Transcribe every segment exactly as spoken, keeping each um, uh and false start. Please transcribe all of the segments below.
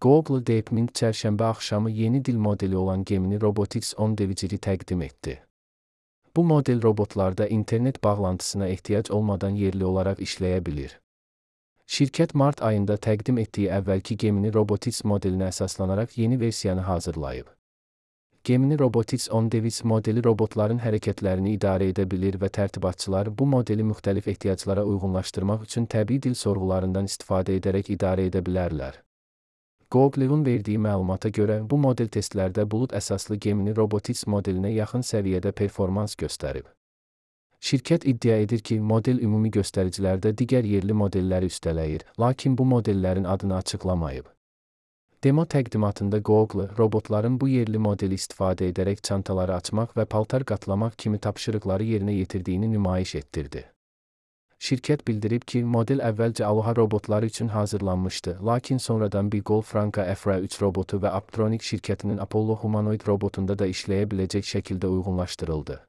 Google DeepMind çərşənbə axşamı yeni dil modeli olan Gemini Robotics on Deviciri təqdim etdi. Bu model robotlarda internet bağlantısına ehtiyac olmadan yerli olaraq işləyə bilir. Şirkət mart ayında təqdim etdiyi əvvəlki Gemini Robotics modelinə əsaslanaraq yeni versiyanı hazırlayıb. Gemini Robotics on Device modeli robotların hərəkətlərini idarə edə bilir və tərtibatçılar bu modeli müxtəlif ehtiyaclara uyğunlaşdırmaq üçün təbii dil sorğularından istifadə edərək idarə edə bilərlər. Google'un verdiyi məlumata görə bu model testlərdə bulud əsaslı Gemini Robotics modelinə yaxın səviyyədə performans göstərib. Şirkət iddia edir ki, model ümumi göstəricilərdə digər yerli modelləri üstələyir, lakin bu modellərin adını açıqlamayıb. Demo təqdimatında Google, robotların bu yerli modeli istifadə edərək çantaları açmaq və paltar qatlamaq kimi tapşırıqları yerinə yetirdiyini nümayiş etdirdi. Şirkət bildirib ki, model əvvəlcə Aloha robotları üçün hazırlanmışdı, lakin sonradan Bigol Franka F R üç robotu və Apptronik şirkətinin Apollo humanoid robotunda da işləyə biləcək şəkildə uyğunlaşdırıldı.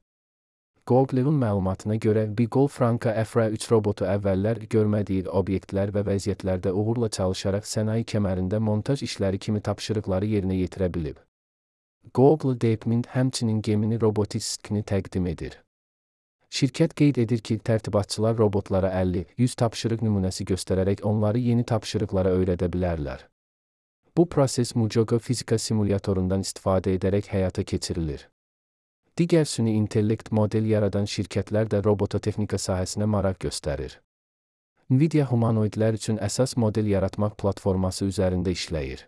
Google'un məlumatına görə Bigol Franka F R üç robotu əvvəllər görmədiyi obyektlər və vəziyyətlərdə uğurla çalışaraq sənaye kəmərində montaj işləri kimi tapşırıqları yerinə yetirə bilib. Google DeepMind həmçinin Gemini Robotics-ni təqdim edir. Şirkət qeyd edir ki, tərtibatçılar robotlara əlli yüz tapşırıq nümunəsi göstərərək onları yeni tapşırıqlara öyrədə bilərlər. Bu proses Mujogo fizika simulyatorundan istifadə edərək həyata keçirilir. Digər süni intellekt model yaradan şirkətlər də robototexnika sahəsinə maraq göstərir. Nvidia humanoidlər üçün əsas model yaratmaq platforması üzərində işləyir.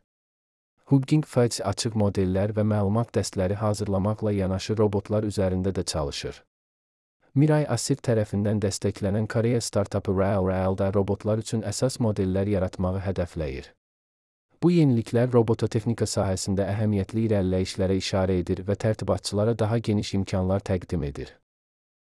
Hugging Face açıq modellər və məlumat dəstləri hazırlamaqla yanaşı robotlar üzərində də çalışır. Mirai Asir tərəfindən dəstəklənən Koreya startapı RealReal da robotlar üçün əsas modellər yaratmağı hədəfləyir. Bu yeniliklər robototexnika sahəsində əhəmiyyətli irəliləyişlərə işarə edir və tərtibatçılara daha geniş imkanlar təqdim edir.